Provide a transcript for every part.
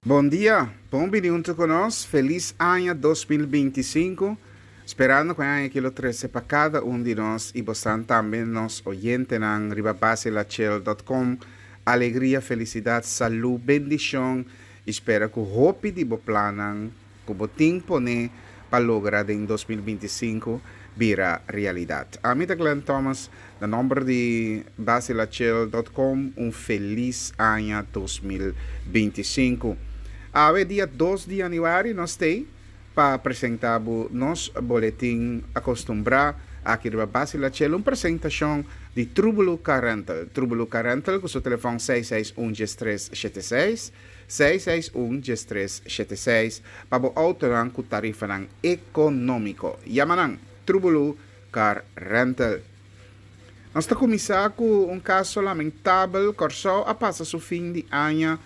Bon dia, bon bini hunto cu nos, feliz aña 2025, sperando cu e aña aki lo trece pa cada un di nos y bosan tambe nos oyentenan riba basilachel.com alegria, felicidad, salud, bendicion y spera cu hopi di bo plannan cu bo tin pone pa logra den 2025 bira realidad. Ami ta Glenn Thomas, na nomber di basilachel.com, un feliz aña 2025. Awe dia 2 di januari nos t'ey pa presenta bo nos boletin acostumbra aki riba Basilachel, un presentacion di Trubulu Car Rental. Trubulu Car Rental cu su telefon 661 1376, 661 1376 pa bo autonan cu tarifanan economico. Yama nan, Trubulu Car Rental. Nos ta cuminsa cu un caso lamentabel. Corsou a pasa su fin di aña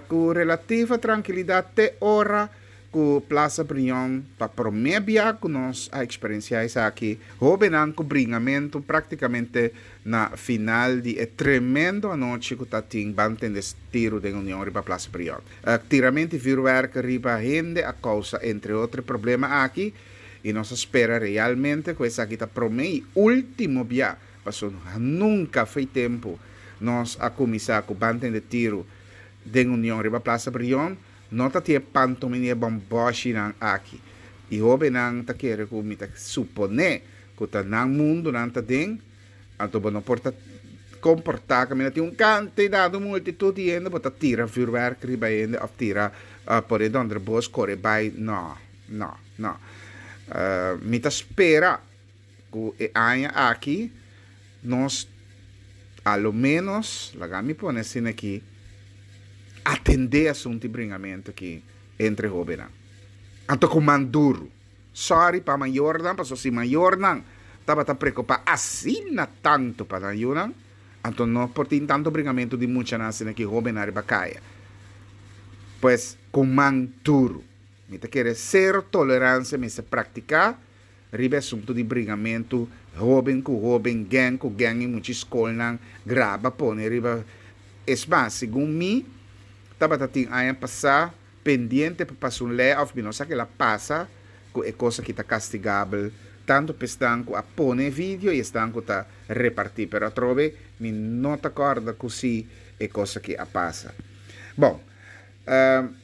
cu relativa trankilidad te ora cu Plaza Brion pa prome bia cu nos a experiencia esaki. Hobennan cu bringamento practicamente na final di e tremendo anochi cu ta tin ban tende tiro den Union riba Plaza Brion. Tiramento di vuurwerk riba hende a causa entre otro e problema aki y nos a spera realmente cu esaki ta prome y ultimo bia, pasobra nunca fey tempo nos a cuminsa cu ban tende tiro den Union riba Plaza Brion. No ta tin e pantomina y e bomboshinan aki. Y hobennan ta kere cu mi ta supone cu ta nan mundo nan ta den, anto bo no por ta comporta caminda tin un cantidad, un multitud di hende, bo ta tira vuurwerk riba hende of tira pone donder bos core bay. No, no, no. Mi ta spera cu e aña aki nos a lo menos, laga mi pone asina aki, atende asunto di bringamento aki entre hobennan. Anto cu man duro. Sorry pa mayornan, pasobra si mayornan tabata preocupa asina tanto pa nan yunan, anto no por tin tanto bringamento di muchanan asina aki hobennan riba caya. Pues, cu man duro. Mi ta kere cero tolerancia mester practica riba e asunto di bringamentu hoben ku hoben, gang ku gang i mucha skolnan graba pone riba. Es mas, segun mi tabata tin aña pasá pendiente pa pasa un lei òf mi no sa kila pasa ku e kos aki ta kastigabel tantu pa esnan ku a pone e video i esnan ku ta repartí. Pero atrobe mi no ta kòrda ku si e kos aki a pasa. Bon,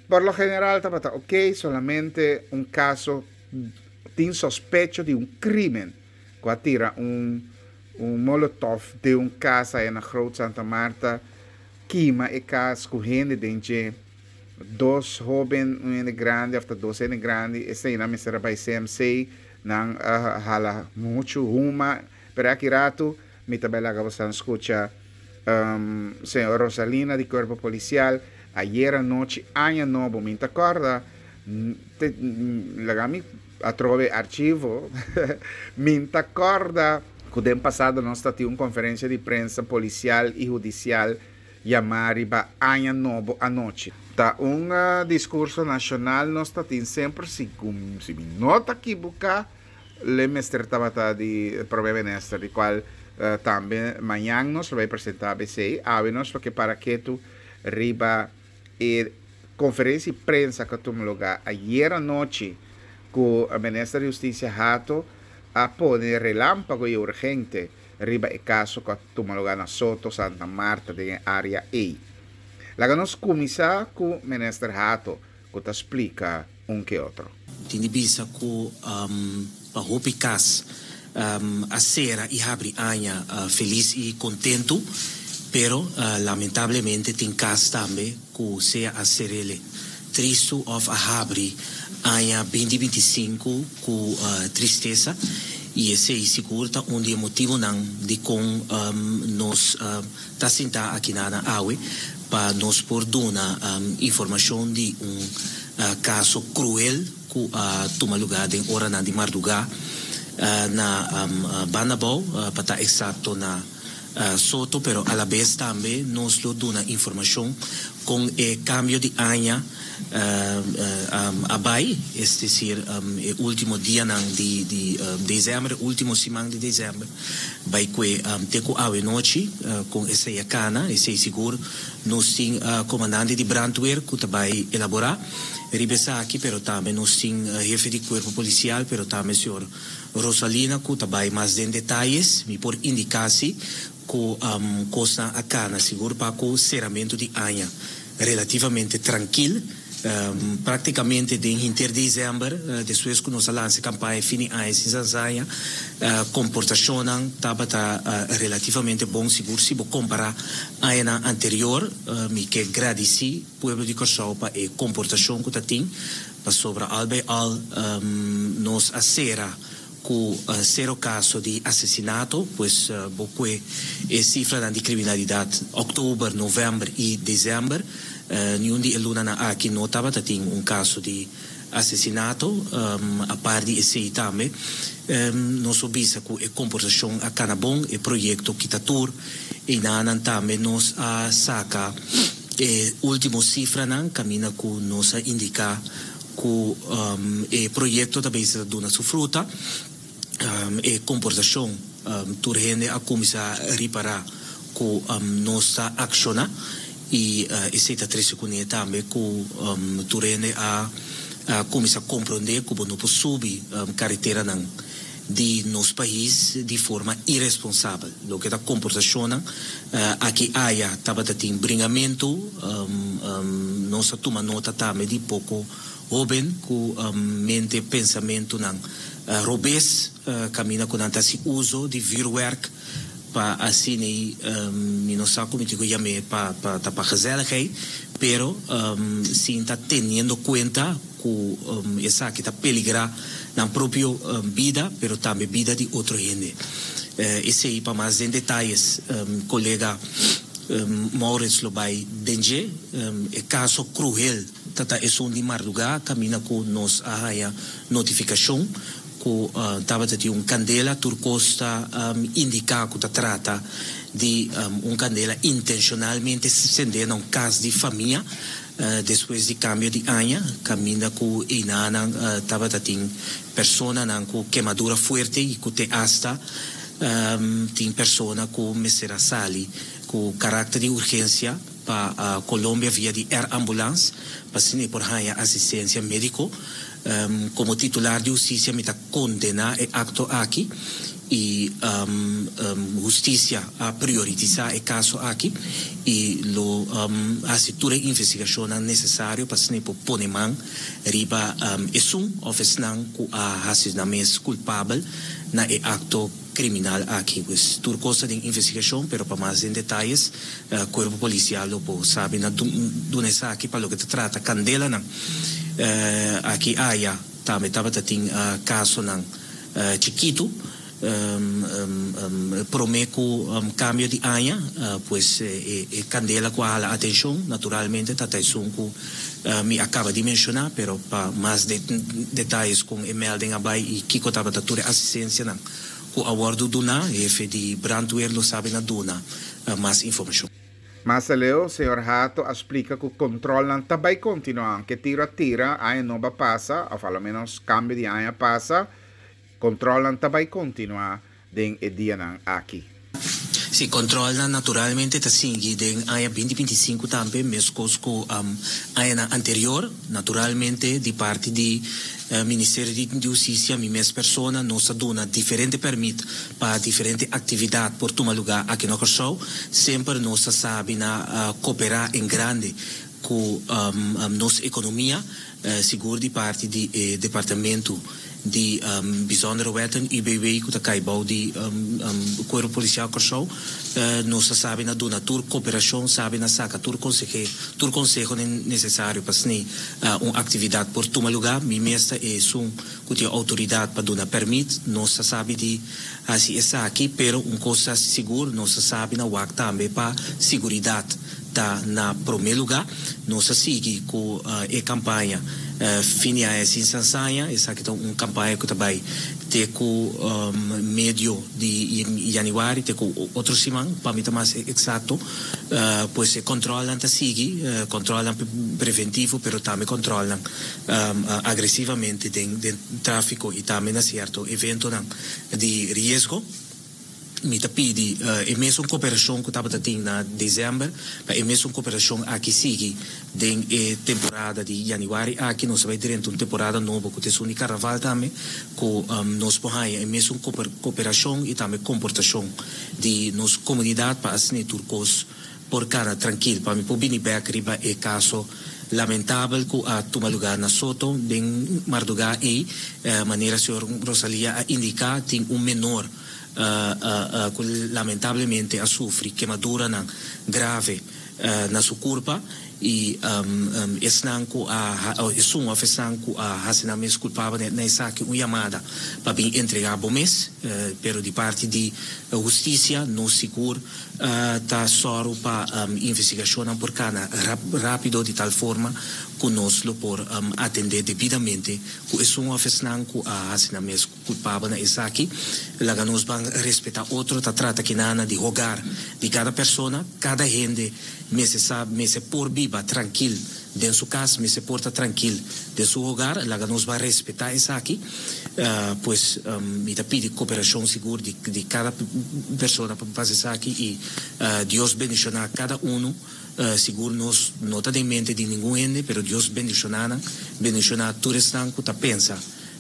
por lo general tabata oke, solamente un kaso tin sospecho di un crimen cu a tira un un molotov den un cas aya na Groot Santa Marta, kima e cas cu hende den dje. Dos hoben, un hende grandi of ta dos hende grandi, eseinan mester a bay CMC, nan a hala mucho huma, pero aki rato mi ta bay laga bosan scucha señor Rosalina di Cuerpo Policial ayer anochi aña nobo, mi ta corda Te laga mi atrobe archivo. Mi ta corda cu den pasado nos ta tin un conferencia di prensa policial y hudicial yama riba Aña Nobo anochi. Ta un discurso nacional nos ta tin semper si si mi no ta equiboca le mester tabata di Prome Minister di cual tambe mañan nos lo bay presenta abc. Awe nos lo ke para ketu riba E conferencia di prensa cu a tuma lugar ayer anochi cu Minister di Husticia Hato a pone relampago y urgente riba e caso cu a tuma lugar na Soto, Santa Marta den e area ey. Laga nos cuminsa cu Minister Hato cu ta splica un ke otro. Tin di bisa ku pa hopi kas a sera i habri aña felis i kontentu, pero lamentablemente tin kas tambe ku sea a ser'el tristu òf a habri aña binti 25 ku tristesa, i esei sigur ta un di e motibunan dikon nos ta sintá akinanan awe pa nos por duna informashon di un kaso kruel ku a tuma lugá den oranan di mardugá na Banda Abou, pa ta eksakto na Soto pero alabes tambe nos lo duna informashon kon e kambio di aña a bai, es desir e ultimo dianan di desèmber, e ultimo siman di desèmber bai kue te ku awe nochi kon esei a kana. Esei sigur nos tin komandante di brandweer ku ta bai elaborá riba esaki pero tambe nos tin hefe di kuerpo polisial pero tambe señor Rosalina ku ta bai mas den detayes. Mi por indiká si ku kosnan a kana sigur pa ku seramentu di aña relativamente trankil. Praktikamente den hinter desèmber despues ku nos a lansa e kampaña fin di aña sin sansaña komportashonnan tabata relativamente bon sigur si bo kompará añanan anterior. Mi ke gradisí pueblo di Kòrsou pa e komportashon ku ta tin pasobra al bai al nos a sera ku sero kaso di asesinato, pues bo kue e sifranan di kriminalidat òktober, novèmber i desèmber, niun di e lunanan aki no tabata tin un kaso di asesinato. Apart di esei tambe nos por bisa ku e komportashon a kana bon, e proyekto kita tur einanan tambe nos a saka e último sifranan kaminda ku nos a indiká Ku e proyekto ta bezig ta duna su fruta, e komportashon tur hende a kuminsá ripará ku nos ta akshoná i esei ta trese kuné tambe ku tur hende a kuminsá komprondé ku bo no por subi kareteranan di nos pais di forma iresponsabel. Loke ta komportashonnan aki aya tabata tin bringamentu, nos a tuma nota tambe di poko hoben ku mente pensamentunan robes kaminda ku nan ta hasi uso di vuurwerk pa asina mi no sa ku mi tin ku yam'é pa ta pa gezelligheid pero sin ta teniendo kuenta ku esaki ta peligrá nan propio bida pero tambe bida di otro hende. Esei pa mas den detayes kolega Maurits lo bai den dje. E kaso kruhel ta ta esun di mardugá kaminda ku nos a haña notifikashon ku tabata tin un kandela. Tur kos ta indiká ku ta trata di un kandela intenshonalmente sendé na un kas di famia. Despues di kambio di aña, kaminda ku einanan tabata tin personanan ku kemadura fuerte i ku te asta tin persona ku mester a sali ku karakter di urgensia pa Colombia via di air ambulance pa asina e por haña asistensia médiko. Komo titular di hustisia mi ta kondená e akto aki i hustisia a prioritisá e kaso aki i lo hasi tur e investigashonnan nesesario pa asina e por pone man riba esun òf esnan ku a hasi nan mes kulpabel na e akto kriminal aki. Pues tur kos ta den investigashon pero pa mas den detayes Kuerpo Polisial lo por sabi na duna esaki pa loke ta trata kandelanan aki aya. Tambe tabata tin kasonan chikitu promé ku kambio di aña, pues e kandela ku a hala atenshon naturalmente ta ta esun ku mi a kaba di menshoná, pero pa mas detayes kon e melding a bai i kiko tabata tur e asistensianan ku a wòrdu duná, hefe di brandweer lo sabi na duna mas informashon. Mas aleu, señor Hato a splica cu controlnan ta bay continua, aunke tiro a tira, aña nobo a pasa, of a lo menos cambio di aña a pasa, controlnan ta bay continua den e dianan aki. Sí, controlnan naturalmente ta sigui den aña binti 25 tambe, mescos cu añanan anterior. Naturalmente, di parti di Ministerio di Husticia, mi mes persona, nos a duna diferente permit pa diferente actividad por tuma lugar aki na Kòrsou. Semper nos a sabi na cooperá en grande cu nos economia, sigur di parti di e departamento di Bijzondere Wetten, UBW, cu ta cay bou di Cuerpo Policial Kòrsou. Nos ta sabi na duna tur cooperacion, sabi na saca tur consehe, tur conseho necesario pa asina un actividad por tuma lugar. Mi mes ta esun cu tin autoridad pa duna permit. Nos ta sabi di haci esaki, pero un cos ta sigur, nos ta sabi na wak tambe pa siguridad ta na prome lugar. Nos ta sigui cu e campaña Fin di Aña Sin Sansaña. Esaki ta un campaña cu ta bay te ku medio di yanüari, te ku otro siman pa mi ta mas eksakto. Pues e kòntròlnan ta sigui, kòntròlnan preventivo pero tambe kòntròlnan agresivamente den tráfiko i tambe na sierto eventonan di riesgo. Mi ta pidi e mesun koperashon ku tabata tin na desèmber, pa e mesun koperashon aki sigui den e temporada di yanüari aki. Nos ta bai drenta un temporada nobo ku ta esun di karnaval tambe, ku nos por haña e mesun koperashon i tambe komportashon di nos komunidat pa asina tur kos por kana trankil. Pa mi por bini bèk riba e kaso lamentabel ku a tuma lugá na Soto den mardugá ei, manera señor Rosalia a indiká, tin un menor ku lamentablemente a sufri kemaduranan grave na su kurpa i esnan ku a esun òf esnan ku a hasi nan mes kulpabel na esaki un yamada pa bin entregá bo mes, pero di parti di hustisia nos sigur ta sòru pa investigashonnan por kana rápido di tal forma ku nos lo por atendé debidamente ku esun òf esnan ku a hasi nan mes Kulpabel na esaki. Laga nos ban respetá otro. Ta trata kinana di hogar di kada persona. Kada hende mester sa, mester por biba trankil den su kas, mester por ta trankil den su hogar. Laga nos ban respetá esaki. Pues mi ta pidi koperashon sigur di di kada persona pa pasa esaki i Dios bendishoná kada unu. Sigur nos no ta den mente di ningun hende, pero Dios bendishoná nan, bendishoná tur esnan ku ta pensa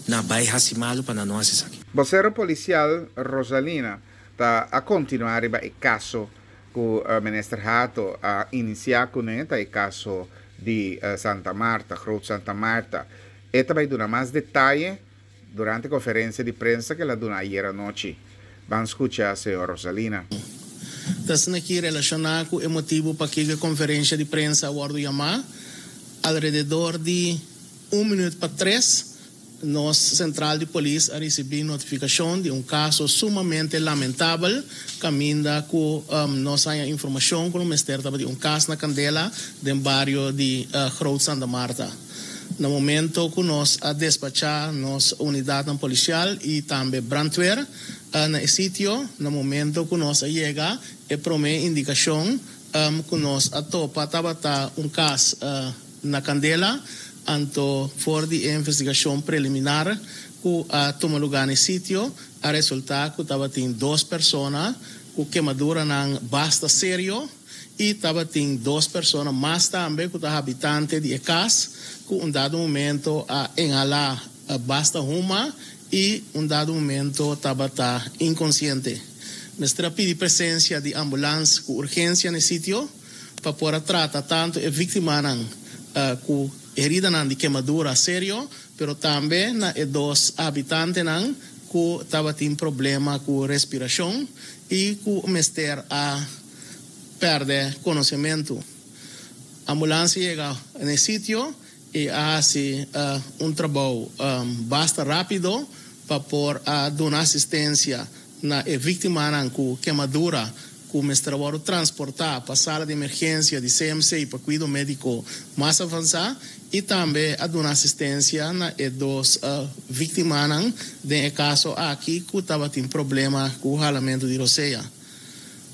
Na bai hasi malu pa nan no hasi esaki. Bosero polisial Rosalina ta a kontinuá riba e kaso ku Minister Hato a inisiá kuné, ta e kaso di Santa Martha, Groot Santa Martha. E ta bai duna mas detaye durante konferensia di prensa ku el a duna ayera nochi. Ban skucha señor Rosalina. Ta asina ki relashoná ku e motibu pakiko e konferensia di prensa a wòrdu yamá, alrededor di Un minuut pa tres, nos sentral di polis a risibí notifikashon di un kaso sumamente lamentabel kaminda ku nos haña informashon ku lo mester tabatin un kas na kandela den bario di Groot Santa Martha. Na momento ku nos a despachá nos unidatnan polisial i tambe brandweer na e sitio, na momento ku nos a yega e promé indikashon ku nos a topa tabata un kas na kandela, anto for di e investigashon preliminar ku a tuma lugá na e sitio, a resultá ku tabatin dos persona ku kemaduranan basta serio i tabatin dos persona mas tambe ku ta habitante di e kas ku un dado momento a inhalá basta huma i un dado momento tabata inkonsiente. Mester a pidi presensia di ambulans ku urgensia na e sitio. pa por a trata tantu e víktimanan ku heridanan di kemadura serio, pero tambe na e dos habitantenan ku tabatin problema ku respirashon i ku mester a pèrdè konosementu. Ambulans a yega na e sitio i a hasi un trabou basta rápido pa por a duna asistensia na e víktimanan ku kemadura ku mester a wòrdu transportá pa sala di emergensia di CMC pa kuido médiko mas avansá i tambe a duna asistensia na e dos víktimanan den e kaso aki ku tabatin problema ku halamentu di rosea.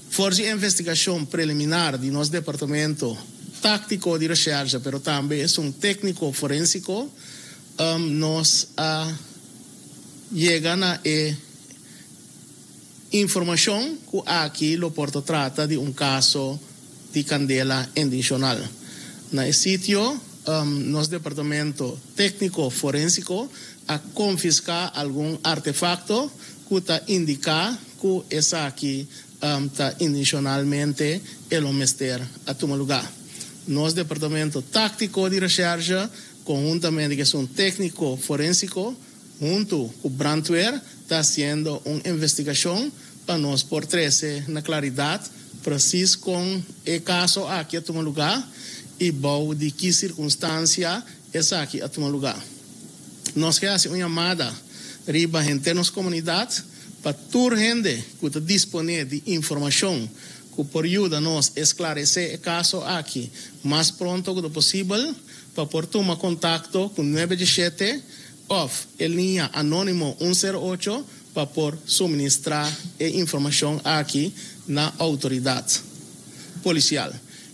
For di e investigashon preliminar di nos departamento táktiko di reshèrshe pero tambe esun tékniko forensiko nos a yega na e Informashon ku aki lo por ta trata di un kaso di kandela intenshonal. Na e sitio, nos departamento tékniko forensiko a konfiská algun artefakto ku ta indiká ku esaki ta intenshonalmente e lo mester a tuma lugá. Nos departamento táktiko di reshèrshe konhuntamente ku esun tékniko forensiko Huntu ku brandweer ta hasiendo un investigashon pa nos por trese na klaridat presis kon e kaso aki a tuma lugá i bou di ki sirkunstansia esaki a tuma lugá. Nos ke hasi un yamada riba henter nos komunidat pa tur hende ku ta disponé di informashon ku por yuda nos esklaresé e kaso aki mas pronto ku ta posibel pa por tuma kontakto ku nuebe djeshete. òf e liña anónimo un sero ocho pa por suministrá e informashon aki na outoridat polisial.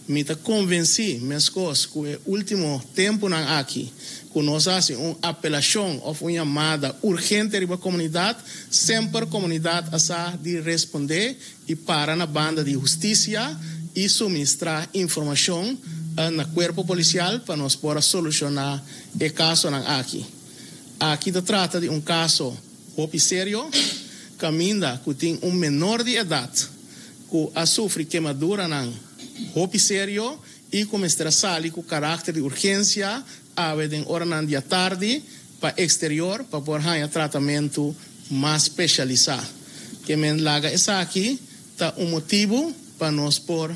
Mi ta konvensí, meskos ku e último tempunan aki, ku nos hasi un apelashon òf un yamada urgente riba komunidat, semper komunidat a sa di respondé i para na banda di hustisia i suministrá informashon na kuerpo polisial pa nos por a solushoná e kasonan aki. Aki ta trata di un kaso hopi serio, kaminda ku tin un menor di edat ku a sufri kemaduranan hopi serio i ku mester a sali ku karakter di urgensia awe den oranan di atardi pa eksterior pa por haña tratamentu mas spesialisá. Ke men laga esaki ta un motibu pa nos por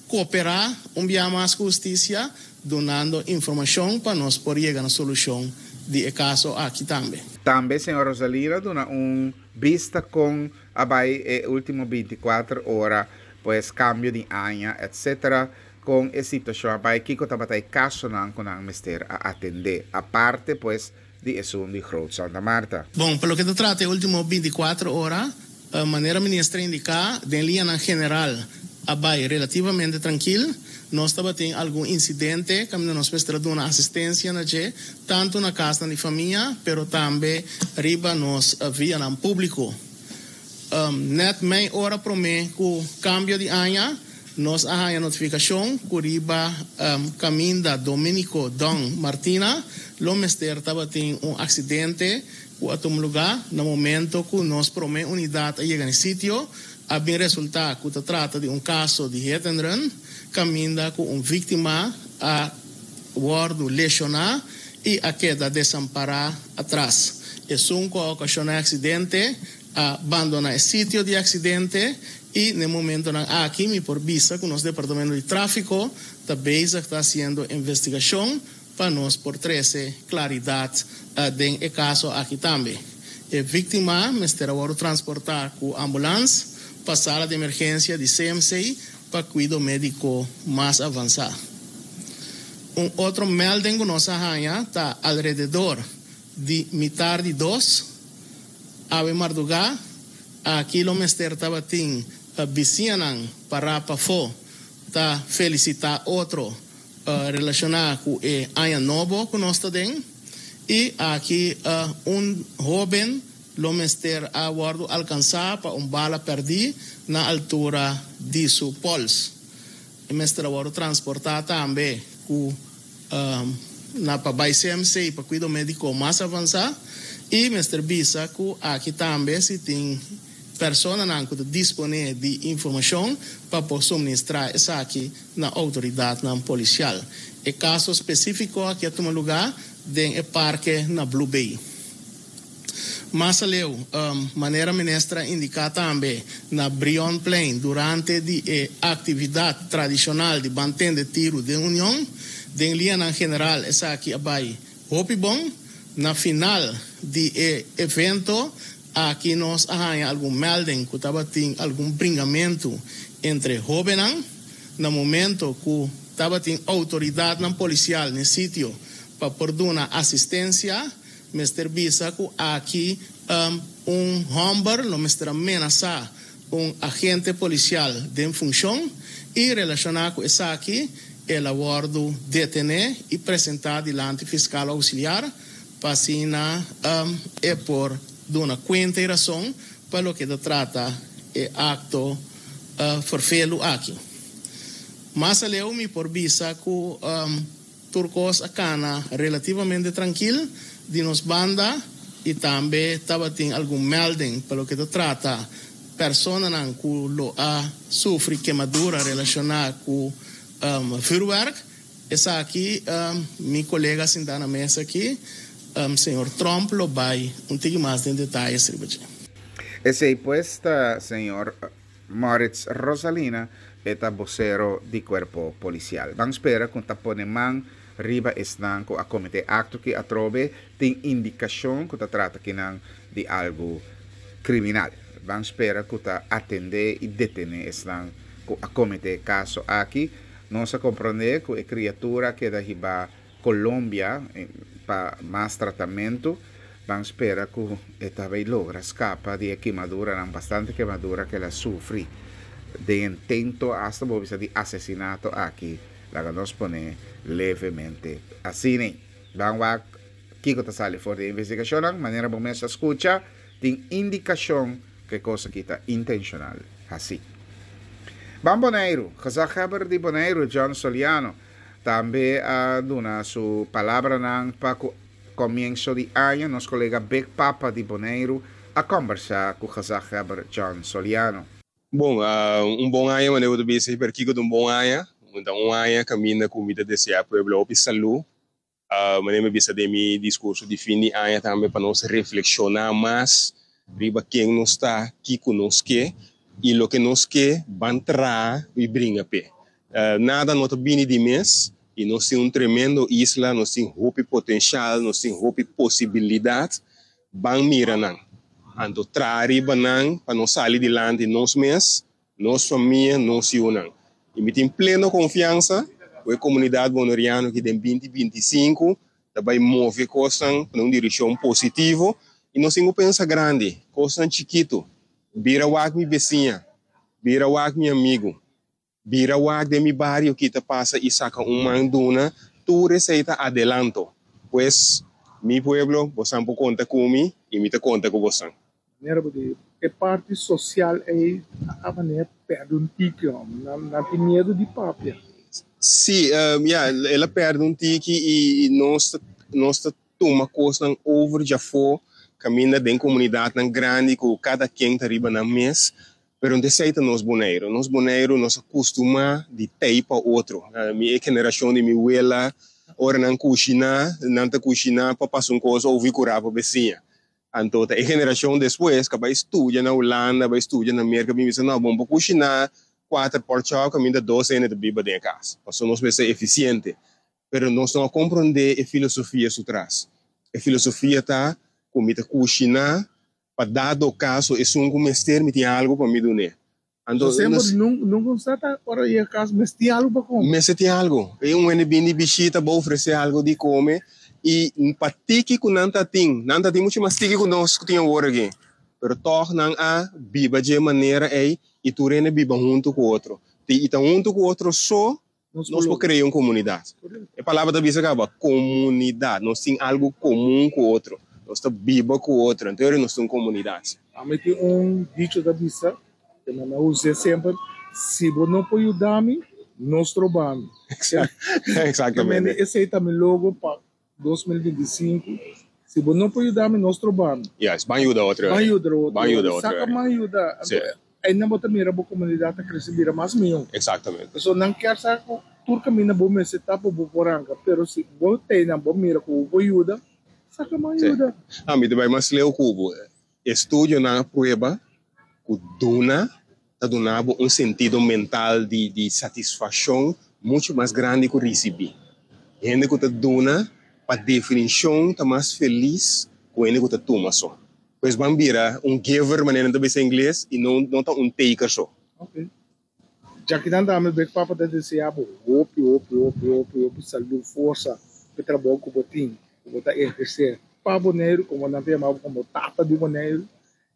Kooperá un bia mas ku hustisia dunando informashon pa nos por yega na solushon di e kaso aki tambe. Tambe señor Rosalina duna un bista kon a bai e ultimo 24 ora, pues kambio di aña etc. Kon e situashon a bai, kiko tabata e kasonan ku nan mester a atendé, aparte pues di esun di Groot Santa Marta. Bon, pa loke ta trata e ultimo 24 ora, Manera minister a indiká, den liñanan general a bai relativamente trankil. Nos tabatin algun insidente kaminda nos mester a duna asistensia na dje, tantu na kasnan di famia, pero tambe riba nos vianan públiko. Nèt mei ora promé ku kambio di aña, nos a haña notifikashon ku riba kaminda Dominico Don Martina lo mester tabatin un aksidente ku a tuma lugá na momento ku nos promé unidat a yega na e sitio, a bin resultá ku ta trata di un kaso di hit and run, kaminda ku un víktima a wòrdu leshoná i a keda desampará atras. Esun ku a okashoná e aksidente a bandoná e sitio di aksidente i na e momentonan aki mi por bisa ku nos departamento di tráfiko ta bezig ta hasiendo investigashon Pa nos por trece claridad den e caso aki tambe. E victima mester a wordo transporta cu ambulans pa sala di emergencia di CMC pa cuido medico mas avansa. Un otro melding cu nos a haya ta alrededor di mitar di dos awe marduga aki lo mester tabatin bisiñanan para pafo ta felicita otro Relashoná ku e aña nobo ku nos ta den i aki un hóben lo mester a wòrdu alkansá pa un bala pèrdí na altura di su pòls. E mester a wòrdu transportá tambe ku na pa bai CMC pa kuido médiko mas avansá i mester bisa ku aki tambe si tin Personanan ku ta disponé di informashon pa por suministrá esaki na outoridatnan polisial. E kaso spesífiko aki a tuma lugá den e parke na Blue Bay. Mas aleu, manera minister a indiká tambe, na Brionplein durante di e aktividat tradishonal di Ban Tende Tiru den Union, den lianan general esaki a bai hopi bon. Na final di e evento Aki nos a haña algun melding ku tabatin algun bringamentu entre hóbennan. Na momento ku tabatin outoridatnan polisial n'e sitio pa por duna asistensia, mester bisa ku aki un hòmber lo mester a menasá un agente polisial den funshon i relashoná ku esaki el a wòrdu detené i presentá dilanti fiskal ousiliar. Pa asina e por duna kuenta i rason pa loke ta trata e akto ferfelu aki. Mas aleu mi por bisa ku tur kos a kana relativamente trankil di nos banda i tambe tabatin algun melding pa loke ta trata personanan ku lo a sufri kemadura relashoná ku vürwèrk. Esaki mi kolega sintá na mesa aki, señor Tromp lo bai un tiki mas den detayes riba dje. Esei pues ta señor Moritz Rosalina, e ta bosero di Cuerpo Policial. Ban spera cu ta pone man riba esnan cu a comete acto ki atrobe tin indicacion cu ta trata kinan di algo criminal. Ban spera cu ta atende y detene esnan cu a comete e caso aki. Nos a komprondé ku e kriatura a keda hibá Colombia pa mas tratamentu. Ban spera ku e ta bay logra skapa di e kimaduranan, bastante kemadura ku el a sufri den intento asta bo bisa di asesinato aki. Laga nos pone levemente asina. Ban wak kiko ta sali for di e investigashonnan. Manera bo mes a skucha, tin indikashon ku e kos aki ta intenshonal hasi. Ban Boneiru, Gezaghebber di Boneiru, John Soliano, tambe a duna su palabranan pa ku Komienso di aña nos kolega Big Papa di Boneiru a kòmbersá ku gezaghebber John Soliano. Bon, un bon aña manera bo ta bisa pero kiko ta un bon aña? Ta un aña kaminda ku mi ta deseá pueblo hopi salú. Manera mi a bisa den mi diskurso di fin di aña tambe pa nos reflekshoná mas riba ken nos ta, kiko nos ke i loke nos ke ban traha i bringa p'e. Nada no ta bini di mes i nos tin un tremendo isla, nos tin hopi potenshal, nos tin hopi posibilidat. Ban mira nan, anto traha riba nan pa nos sali dilanti nos mes, nos famia, nos yunan. I mi tin pleno konfiansa ku e komunidat boneriano ki den binti 25 ta bai move kosnan na un direkshon positivo i nos tin ku pensa grandi, kosnan chikitu. Bira wak mi besiña, bira wak mi amigu. Bira wak den mi bario ki ta pasa i saka un man duna, tur esei ta adelanto. Pues, mi pueblo, bosan por konta ku mi i mi ta konta ku bosan. Manera bo di e parti sosial ei a manera pèrdè un tiki hòmber. Nan nan tin miedu di papia. Sí, ya, el a pèrdè un tiki i nos ta nos ta tuma kosnan over djafó kaminda den komunidatnan grandi ku kada ken ta riba nan mes. Pero no esei ta nos Boneiru. Nos Boneiru nos a kustumá di tei pa otro. Mi e generashon di mi wela, ora nan kushiná, nan ta kushiná pa pasa un kos over i kurá pa besiña. Anto ta e generashon despues ku a bai studia na Hulanda, a bai studia na Merka, bin bisa, no, bon pa kushiná kuater pòrchòp kaminda dos hende ta biba den e kas, pasobra nos mester efisiente. Pero nos no a komprondé e filosofia su tras. E filosofia ta ku mi ta kushiná Pa dado kaso esun ku mester mi tin algu pa mi dun'é. Anto So semper nos. Nunka un sa ta ora yega kas mester tin algu pa kome. Mester tin algu. E un hende bin di bishita bo ofresé algu di kome i pa tiki ku nan ta tin, nan ta tin muchu mas tiki ku nos ku tin awor aki. Pero tòg nan a biba dje manera ei i tur hende biba huntu ku otro. I ta huntu ku otro so Nos por krea un komunidat. E palabra ta bisa kaba, komunidat. Nos tin algu komun ku otro. Nos ta biba ku otro. Anto ora nos ta un komunidat. Ami tin un dicho ta bisa, ku mi a us'é semper, Si bo no por yuda mi, no stroba mi. Exactamente. Esei ta mi logo pa 2025, si bo no por yuda mi, no stroba mi. Yes, ban yuda otro. Ban yuda otro. Ban yuda otro. Saka man yuda. Anto, einan bo ta mira bo komunidat ta krese bira mas mihó. Exactamente. Pasobra nan kier sa ku tur kaminda bo mester ta pa bo por ranka, pero si bo ta einan bo mira ku bo por yuda, saka man yuda. Ah, mi ta bai mas leu ku bo. Estudionan a prueba ku duna ta duna bo un sentido mental di di satisfakshon muchu mas grandi ku risibí. Hende ku ta duna pa definishon ta mas felis ku hende ku ta tuma so. Pues ban bira un giver manera nan ta bisa ingles i no no ta un taker so. Ok. Djakinan tambe Big Papa ta desea bo hopi hopi hopi hopi hopi salud, forsa p'e trabou ku bo tin, ku bo ta ehersé pa Boneiru, komo nan ta yama bo komo tata di Boneiru.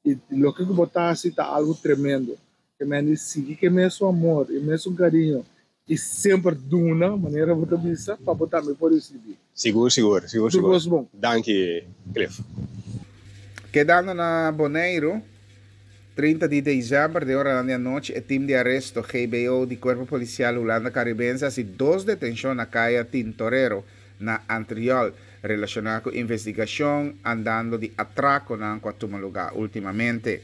I loke ku bo ta hasi ta algu tremendo. Ke mende sigui ku e mesun amor, e mesun kariño i semper duna, manera bo ta bisa, pa bo tambe por risibí. Sigur, sigur, sigur, Tur sigur. kos bon. Danki, Cliff. Kedando na Boneiru, 30 di desèmber den oranan di anochi e tim di aresto GBO di Kuerpo Polisial Hulanda Karibense hasi dos detenshon na kaya Tintorero na Antriol relashoná ku investigashon andando di atrakonan ku a tuma lugá últimamente.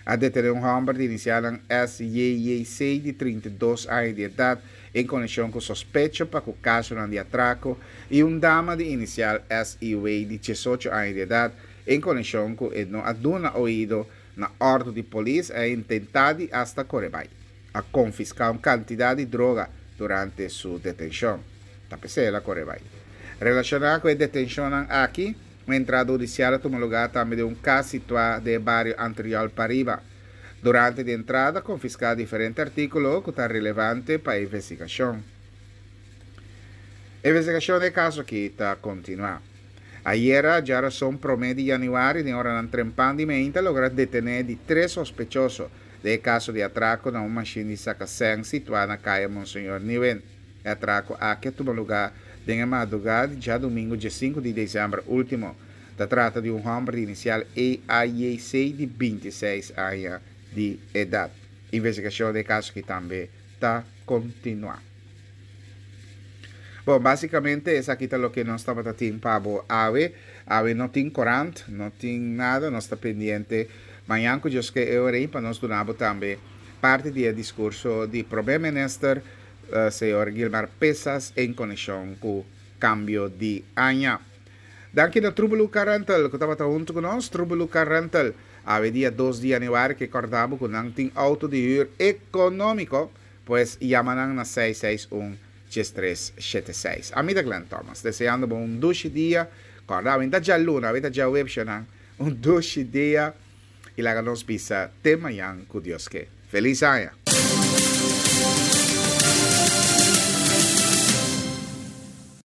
A detené un hòmber di inisialnan SJJC di 32 aña di edat en konekshon ku sospecho pa ku kasonan di atrako i un dama di inisial SIW di 18 aña di edat en konekshon ku e no a duna oido na òrdu di polis i a intentá di asta kore bai. A konfiská un kantidat di droga durante su detenshon. Ta p'esei el a kore bai. Relashoná ku e detenshonnan aki, un entrada hudisial a tuma lugá tambe den un kas situá den e bario Antriol Pariba. Durante di entrada a konfiská diferente artíkulo ku ta relevante pa e investigashon. E investigashon di e kaso aki ta kontinuá. Ayera, djarason promé di yanüari, den oranan trempan di meinta logra detené di tres sospechoso den e kaso di atrako na un mashin di saka sèn situá na Kaya Monseñor Nieuwindt. E atrako aki a tuma lugá den e madrugá di djadumingu diesinku di desèmber último. Ta trata di un hòmber di inisial EAJC di 26 aña di edat. Investigashon den e kaso aki tambe ta kontinuá. Bon, básicamente esaki ta loke nos tabata tin pa bo awe. Awe no tin korant, no tin nada, nos ta pendiente mañan ku Dios ke e ora ei pa nos duna bo tambe parti di e diskurso di Prome Minister señor Gilmar Pisas en konekshon ku kambio di aña. Danki na Trubelu Car Rental ku tabata huntu ku nos. Trubelu Car Rental awe dia dos di yanüari ke kòrda bo ku nan tin outo di hür ekonómiko. Pues yama nan na seis seis un 13 7 seis. Ami ta Glenn Thomas, deseando bo un dushi dia. Kòrda, awe ta djaluna, awe ta djaweps nan. Un dushi dia i laga nos bisa te mañan ku Dios ke. Felis aña!